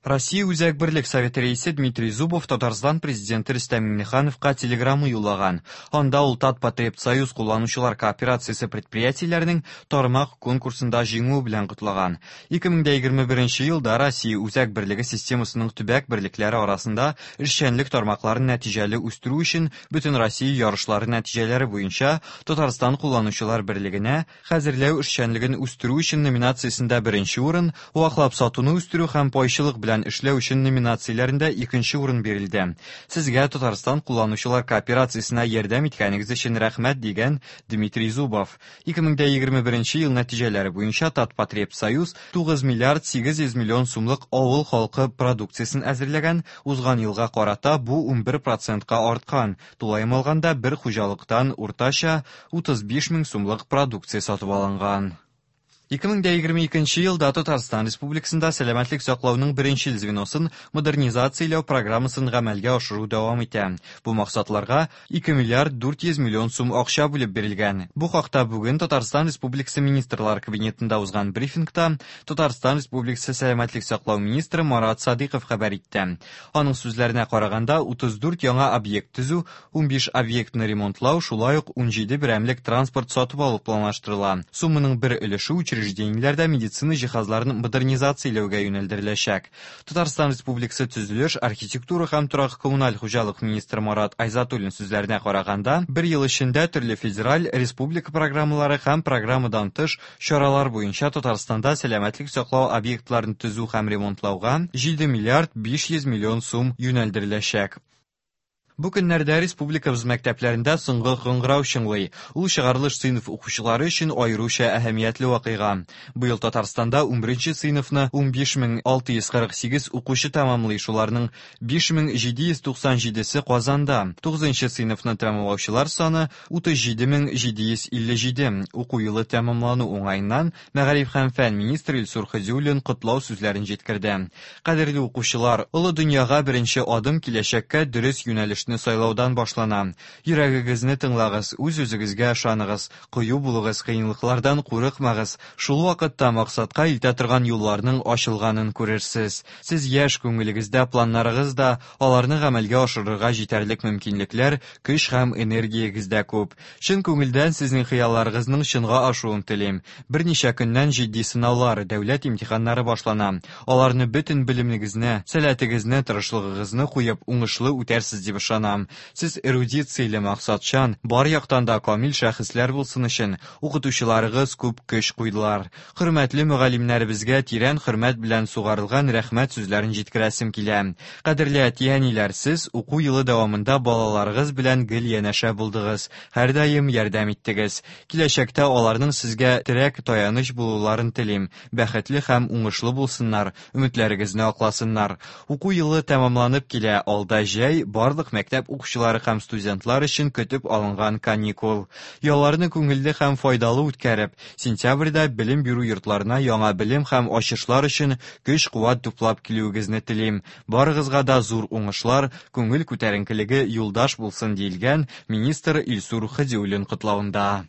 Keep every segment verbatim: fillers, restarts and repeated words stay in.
Россия Үзәк Берлек Советы рәисе Дмитрий Зубов Татарстан президенты Рөстәм Миңнехановка телеграмма юллаган. Анда ул Татпотребсоюз кулланучылар кооперациясе предприятиеләренең тармак конкурсында җиңүе белән котлаган. ике мең егерме беренче елда Россия Үзәк Берлеге системасының төбәк берлекләре арасында эшчәнлек тармакларын нәтиҗәле үстерү өчен Бөтенроссия ярышлары нәтиҗәләре буенча Татарстан кулланучылар берлегенә хәзерләү эшчәнлеген үстерү өчен номинациясендә беренче урын, ваклап сатуны үстерү һәм пайчылык белән эшләү өчен номинацияләрендә икенче урын бирелде. Сезгә Татарстан кулланучылар кооперациясенә ярдәм иткәнегез өчен рәхмәт, дигән Дмитрий Зубов. ике мең егерме беренче ел нәтиҗәләре буенча Татпотребсоюз тугыз миллиард сигез йөз миллион сумлык авыл халкы продукциясен әзерләгән, узган елга карата бу унбер процентка арткан. Тулаем алганда бер хуҗалыктан уртача утыз биш мең сумлык продукция сатып алынган. ике мең егерме икенче елда Татарстан Республикасында сәламәтлек саклауның беренчел звеносын модернизацияләү программасын гамәлгә ашыру дәвам итә. Бу максатларга ике миллиард дүрт йөз миллион сум акча бүлеп бирелгән. Бу хакта бүген Татарстан Республикасы Министрлар Кабинетында узган брифингта Татарстан Республикасы сәламәтлек саклау министры Марат Садыйков хәбәр итте. Аның сүзләренә караганда, утыз дүрт яңа объект төзү, унбиш объектны ремонтлау, шулай ук унҗиде берәмлек транспорт сатып алу планлаштырыла. Сумманың бер өлеше учреждениеләрдә медицина җиһазларын модернизацияләүгә юнәлдереләчәк. Татарстан Республикасы төзелеш, архитектура һәм торак коммуналь хуҗалык министры Марат Айзатуллин сүзләренә караганда, бер ел эчендә төрле федераль, республика программалары һәм программадан тыш чаралар буенча Татарстанда сәламәтлек саклау объектларын төзү һәм ремонтлауга җиде миллиард биш йөз миллион сум юнәлдереләчәк. Бу көннәрдә республикабыз мәктәпләрендә соңгы кыңгырау чыңлый. Ул чыгарылыш сыйныф укучылары өчен аеруча әһәмиятле вакыйга. Быел Татарстанда унберенче сыйныфны унбиш мең алты йөз кырык сигез укучы тәмамлый, шуларның биш мең җиде йөз туксан җидесе Казанда. Тугызынчы сыйныфны тәмамлаучылар саны утыз җиде мең җиде йөз илле җиде. Уку елы тәмамлану уңаеннан Мәгариф һәм фән министры Илсур Һадиуллин котлау сүзләрен җиткерде. Кадерле укучылар, олы дөньяга беренче адым киләчәккә дөрес юнәлеш сайлаудан башлана. Йөрәгегезне тыңлагыз, үз-үзегезгә ышаныгыз, кыю булыгыз, кыенлыклардан курыкмагыз. Шул вакытта максатка илтә торган юлларның ачылганын күрерсез. Сез яшь, күңелегездә планнарыгыз да, аларны гамәлгә ашырырга җитәрлек мөмкинлекләр, көч һәм энергиягез дә күп. Чын күңелдән сезнең хыялларыгызның чынга ашуын телим. Берничә көннән җитди сынаулар, дәүләт имтиханнары башлана. Аларны бөтен белемегезне, сәләтегезне, тырышлыгыгызны куеп, уңышлы үтәрсез дип ышанам. Сез эрудицияле, максатчан, бар яктан да камил шәхесләр булсын өчен укытучыларыгыз күп көч куйдылар. Хөрмәтле мөгаллимнәребезгә тирән хөрмәт белән сугарылган рәхмәт сүзләрен җиткерәсем килә. Кадерле әти-әниләр, сез уку елы дәвамында балаларыгыз белән гел янәшә булдыгыз, һәрдаим ярдәм иттегез. Киләчәктә аларның сезгә терәк, таяныч булуларын телим. Бәхетле һәм уңышлы булсыннар, өметләрегезне акласыннар. Уку елы тәмамланып килә, алда җәй, барлык мәктәп укучылары һәм студентлар өчен көтеп алынган каникул. Ялларны күңелле һәм файдалы үткәреп, сентябрьдә белем бирү йортларына яңа белем һәм ачышлар өчен көч-куәт туплап килүегезне телим. Барыгызга да зур уңышлар, күңел күтәренкелеге юлдаш булсын, диелгән министр Илсур Һадиуллин котлавында.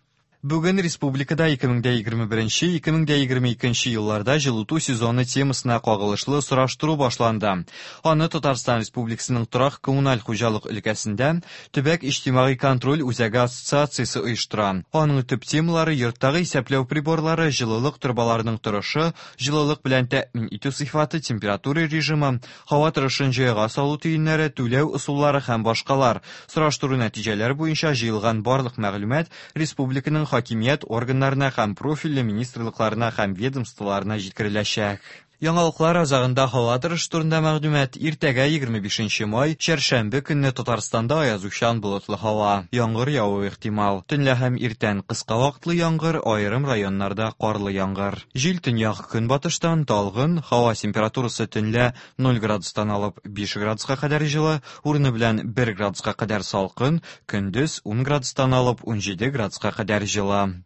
Бүген республикада ике мең егерме беренче, ике мең егерме икенче елларда җылыту сезоны темасына кагылышлы сораштыру башланды. Аны Татарстан Республикасының торак коммуналь хуҗалык өлкәсендә Төбәк иҗтимагый контроль үзәге ассоциациясе оештыра. Аның төп темалары йорттагы исәпләү приборлары, җылылык торбаларының торышы, җылылык белән тәэмин итү сыйфаты, температура режимы, һава торышын җайга салу төеннәре, түләү ысуллары һәм башкалар. Сораштыру нәтиҗәләре буенча җыелган барлык мәгълүмат республиканың хакимият органнарына һәм профильле министрлыкларына һәм ведомстволарына җиткереләчәк. Яңалыклар азагында һава торышы турында мәгълүмат. Иртәгә егерме бишенче май, чәршәмбе көнне Татарстанда аязучан болытлы һава. Яңгыр явуы ихтимал. Төнлә һәм иртән кыска вакытлы яңгыр, аерым районнарда карлы яңгыр. Җил төньяк көнбатыштан талгын, һава температурасы төнлә ноль градустан алып биш градуска кадәр җылы, урыны белән бер градуска кадәр салкын, көндез ун градустан алып унҗиде градуска кадәр җылы.